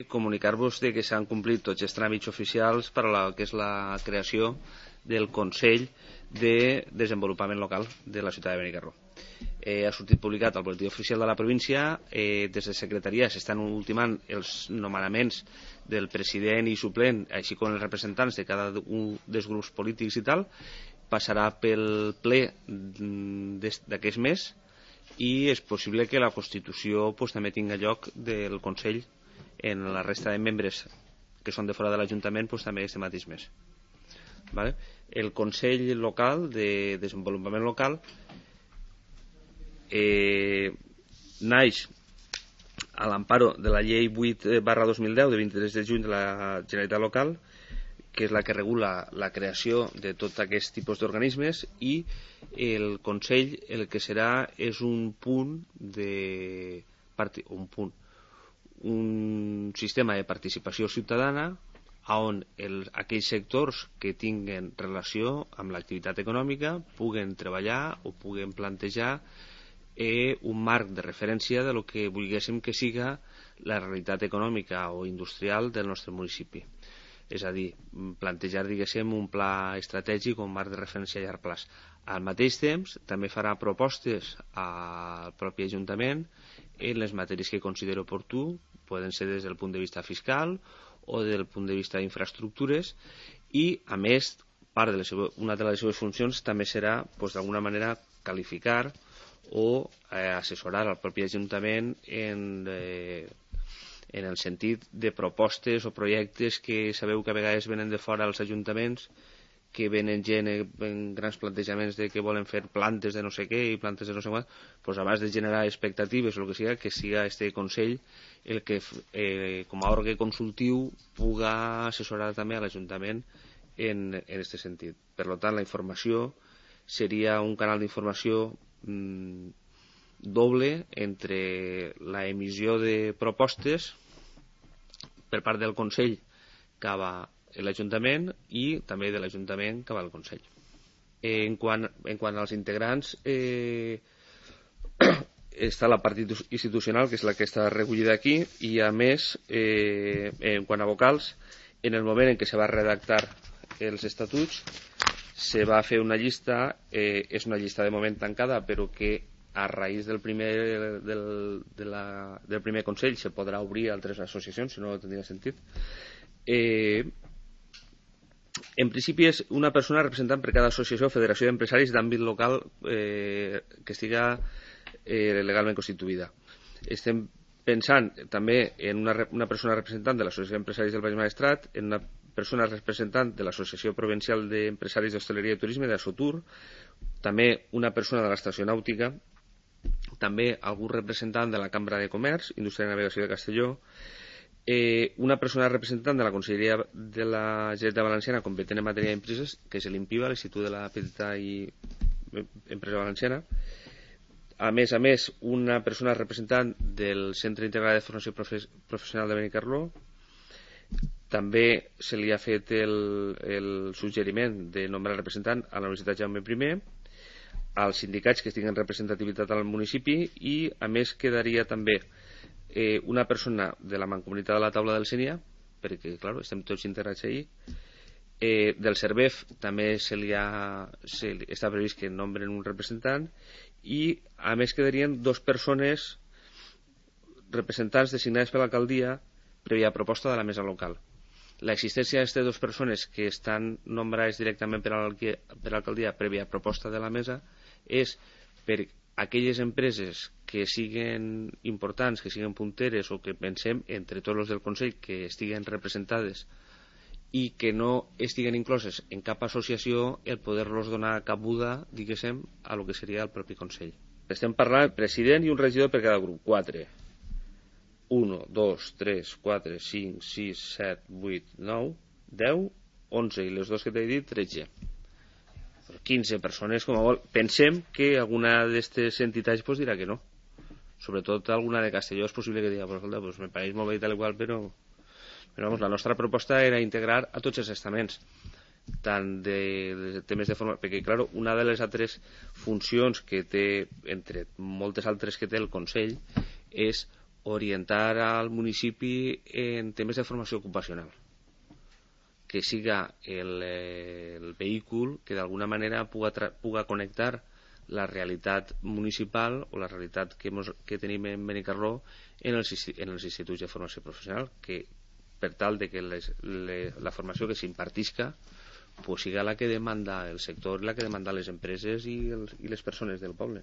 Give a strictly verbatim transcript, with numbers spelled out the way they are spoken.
Comunicar-vos que s'han complit tots els tràmits oficials per a la que és la creació del Consell de Desenvolupament Local de la ciutat de Benicarló. Eh, ha sortit publicat al boletí oficial de la província. Eh, des de secretaria s'estan ultimant els nomenaments del president i suplent, així com els representants de cada un dels grups polítics i tal. Passarà pel ple d'aquest mes i és possible que la Constitució pues, també tinga lloc del Consell en la resta de membres que són de fora de l'Ajuntament pues, també este mateix mes. Vale? El Consell Local de Desenvolupament Local eh, naix a l'amparo de la llei vuit barra dos mil deu de vint-i-tres de juny de la Generalitat Local, que és la que regula la creació de tot aquest tipus d'organismes, i el Consell el que serà és un punt de un punt un sistema de participació ciutadana on el, aquells sectors que tinguen relació amb l'activitat econòmica puguen treballar o puguen plantejar eh, un marc de referència de lo que volguéssim que siga la realitat econòmica o industrial del nostre municipi. És a dir, plantejar, diguéssim, un pla estratègic o un marc de referència a llarg plaç. Al mateix temps, també farà propostes al propi Ajuntament en les matèries que considero oportú, poden ser des del punt de vista fiscal o del punt de vista d'infraestructures, i, a més, part de les seves, una de les seves funcions també serà, pues, d'alguna manera, qualificar o eh, assessorar al propi Ajuntament en... Eh, en el sentit de propostes o projectes que sabeu que a vegades venen de fora als ajuntaments, que venen gent en grans plantejaments de que volen fer plantes de no sé què i plantes de no sé què, doncs abans de generar expectatives o el que siga, que siga este Consell el que eh, com a òrgan consultiu puga assessorar també a l'Ajuntament en aquest sentit. Per tant, la informació seria un canal d'informació mmm, doble entre la emissió de propostes per part del Consell cap a l'Ajuntament i també de l'Ajuntament cap al Consell. En quant, en quant als integrants, eh, està la part institucional, que és la que està recollida aquí, i a més, eh, en quant a vocals, en el moment en què se va redactar els estatuts, se va fer una llista, eh, és una llista de moment tancada, però que a raïs del primer, del, de la, del primer Consell se podrà obrir a altres associacions, si no, no tindria sentit. Eh, en principi és una persona representant per cada associació o federació d'empresaris d'àmbit local eh, que estiga eh, legalment constituïda. Estem pensant també en una, una persona representant de l'Associació d'Empresaris del Baix Maestrat, en una persona representant de l'Associació Provincial d'Empresaris d'Hostaleria i Turisme, d'Assotur, també una persona de l'Estació Nàutica, també algun representant de la Cambra de Comerç, Indústria i Navegació de Castelló, eh, una persona representant de la Conselleria de la Generalitat Valenciana competent en matèria d'empreses, que és l'INPIVA, l'Institut de la Petita i Empresa Valenciana. A més a més, una persona representant del Centre Integral de Formació Professional de Benicarló. També se li ha fet el, el suggeriment de nombrar representant a la Universitat Jaume I, als sindicats que estiguen representativitat al municipi, i a més quedaria també eh, una persona de la Mancomunitat de la Taula del Sénia, perquè clar, estem tots integrats ahí. Eh, del CERVEF també se li ha, se li, està previst que nombren un representant, i a més quedarien dos persones representants designades per l'alcaldia prèvia proposta de la mesa local. L'existència d'aquestes dues persones que estan nombrades directament per l'alcaldia prèvia proposta de la mesa és per aquelles empreses que siguen importants, que siguen punteres o que pensem entre tots els del Consell que estiguen representades i que no estiguen incloses en cap associació, el poder-los donar cabuda, diguéssim, a lo que seria el propi Consell. Estem parlant de president i un regidor per cada grup. quatre. un, dos, tres, quatre, cinc, sis, set, vuit, nou, deu, onze i les dos que t'he dit, tretze. quinze persones com a vol. Pensem que alguna d'aquestes entitats pues, dirà que no. Sobretot alguna de Castelló és possible que digui, pues, pues, me pareix molt bé i tal igual, però, però vamos, la nostra proposta era integrar a tots els estaments, tant de, de temes de forma... Perquè, clar, una de les altres funcions que té, entre moltes altres que té el Consell, és orientar al municipi en temes de formació ocupacional, que siga el, el vehícul que d'alguna manera puga, puga connectar la realitat municipal o la realitat que, mos, que tenim en Benicarló en els, en els instituts de formació professional, que per tal de que les, les, la formació que s'impartisca pues siga la que demanda el sector, la que demanda les empreses i, els, i les persones del poble.